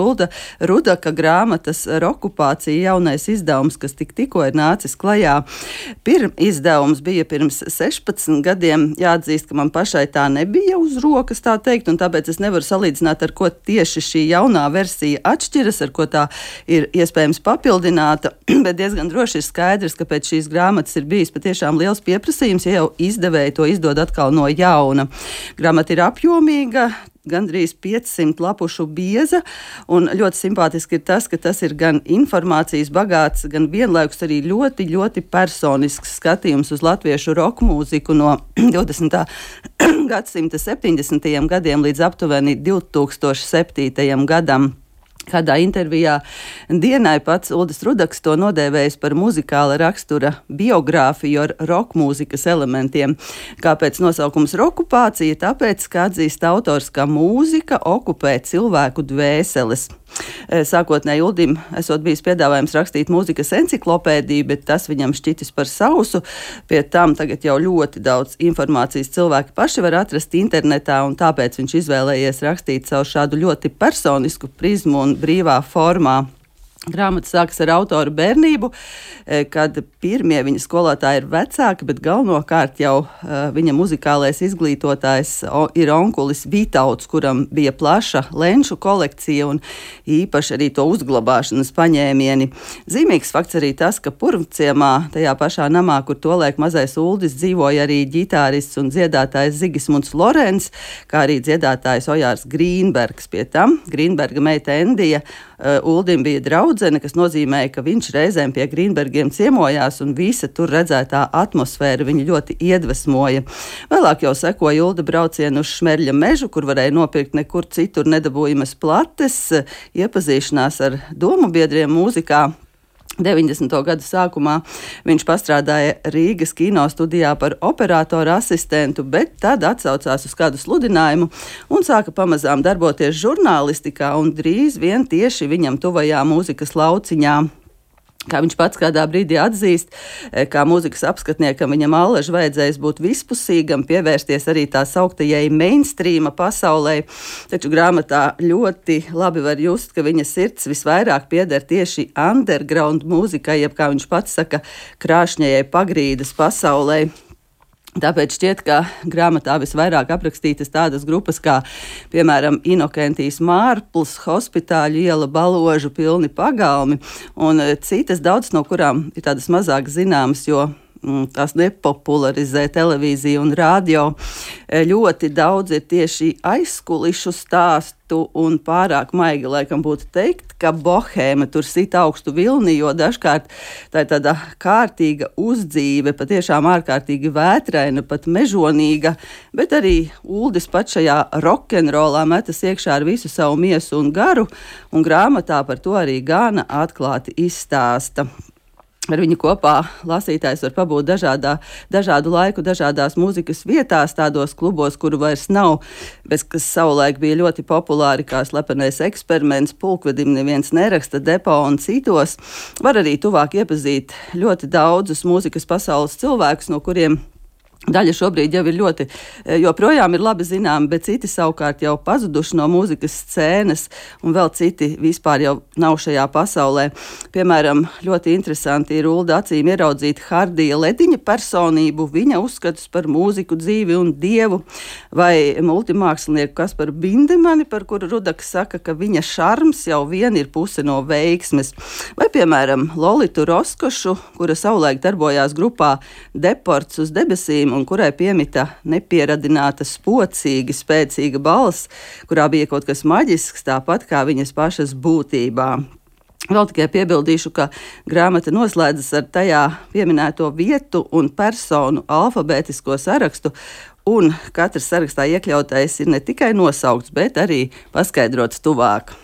Ulda Rudaka grāmatas Rokupācija jaunais izdevums, kas tikko ir nācis klajā. Izdevums bija pirms 16 gadiem. Jāatzīst, ka man pašai tā nebija uz rokas, tā teikt, un tāpēc es nevaru salīdzināt, ar ko tieši šī jaunā versija atšķiras, ar ko tā ir iespējams papildināta, bet diezgan droši ir skaidrs, ka pēc šīs grāmatas ir bijis patiešām liels pieprasījums, ja jau izdevēji to izdod atkal no jauna. Grāmata ir apjomīga, gandrīz 500 lapušu bieza, un ļoti simpātiski ir tas, ka tas ir gan informācijas bagāts, gan vienlaikus arī ļoti, ļoti personisks skatījums uz latviešu roka mūziku no 20. gadsimta 70. gadiem līdz aptuveni 2007. gadam. Kādā intervijā Dienai pats Uldis Rudaks to nodēvējis par muzikāla rakstura biogrāfiju ar roka mūzikas elementiem. Kāpēc nosaukums Rokupācija? Tāpēc, ka atzīst autors, ka mūzika okupē cilvēku dvēseles. Sākotnēji Uldim esot bijis piedāvājums rakstīt mūzikas enciklopēdiju, bet tas viņam šķitis par sausu. Pie tam tagad jau ļoti daudz informācijas cilvēki paši var atrast internetā, un tāpēc viņš izvēlējies rakstīt savu šādu ļoti personisku prizmu un brīvā formā. Grāmata sākas ar autoru bērnību, kad pirmie viņa skolotāji ir vecāki, bet galvenokārt jau viņa muzikālais izglītotājs ir onkulis Vitauts, kuram bija plaša lenču kolekcija un īpaši arī to uzglabāšanas paņēmieni. Zīmīgs fakts arī tas, ka Purvciemā, tajā pašā namā, kur tolaik mazais Uldis, dzīvoja arī ģitārists un dziedātājs Zigismunds Lorents, kā arī dziedātājs Ojārs Grīnbergs. Pie tam Grīnberga meita Endija Uldim bija draudzene, kas nozīmēja, ka viņš reizēm pie Grīnbergiem ciemojās un visa tur redzētā atmosfēra viņu ļoti iedvesmoja. Vēlāk jau sekoja Ulda braucienu uz Šmerļa mežu, kur varēja nopirkt nekur citur nedabūjamas plates, iepazīšanās ar domu biedriem mūzikā. 90. gadu sākumā viņš pastrādāja Rīgas kino studijā par operatoru asistentu, bet tad atsaucās uz kādu sludinājumu un sāka pamazām darboties žurnālistikā un drīz vien tieši viņam tuvajā mūzikas lauciņā. Kā viņš pats kādā brīdī atzīst, kā mūzikas apskatniekam viņam allaži vajadzējis būt vispusīgam, pievērsties arī tā sauktajai mainstreama pasaulē, taču grāmatā ļoti labi var just, ka viņa sirds visvairāk pieder tieši underground mūzikai, jeb kā viņš pats saka, krāšņajai pagrīdes pasaulē. Tāpēc šķiet, ka grāmatā visvairāk aprakstītas tādas grupas kā, piemēram, Inokentijas Mārpls, Hospitāļu iela, Baložu pilni pagalmi un citas, daudz no kurām ir tādas mazāk zināmas, jo tās nepopularizē televīzija un radio. Ļoti daudz ir tieši aizkulišu stāstu un pārāk maigi laikam būtu teikt, ka bohēma tur sit augstu vilni, jo dažkārt tā ir tāda kārtīga uzdzīve, patiešām ārkārtīgi vētraina, pat mežonīga, bet arī Uldis pat šajā rokenrolā metas iekšā ar visu savu miesu un garu, un grāmatā par to arī gana atklāti izstāsta. Ar viņu kopā lasītājs var pabūt dažādu laiku, dažādās mūzikas vietās, tādos klubos, kuru vairs nav, bet kas savulaik bija ļoti populāri, kā Slepenais eksperiments, Pulkvedim neviens neraksta, Depo un citos. Var arī tuvāk iepazīt ļoti daudzus mūzikas pasaules cilvēkus, no kuriem daļa šobrīd jau ir joprojām ir labi zināma, bet citi savukārt jau pazuduši no mūzikas scēnas, un vēl citi vispār jau nav šajā pasaulē. Piemēram, ļoti interesanti ir Ulda acīm ieraudzīt Hardija Lediņa personību, viņa uzskatus par mūziku, dzīvi un dievu, vai multimākslinieku Kasparu Bindemani, par kuru Rudaks saka, ka viņa šarms jau vien ir puse no veiksmes. Vai, piemēram, Lolitu Roskošu, kura savulaik darbojās grupā Deports uz debesīm, un kurai piemita nepieradināta, spocīga, spēcīga balss, kurā bija kaut kas maģisks, tāpat kā viņas pašas būtībā. Vēl tikai piebildīšu, ka grāmata noslēdzas ar tajā pieminēto vietu un personu alfabētisko sarakstu, un katrs sarakstā iekļautais ir ne tikai nosaukts, bet arī paskaidrots tuvāk.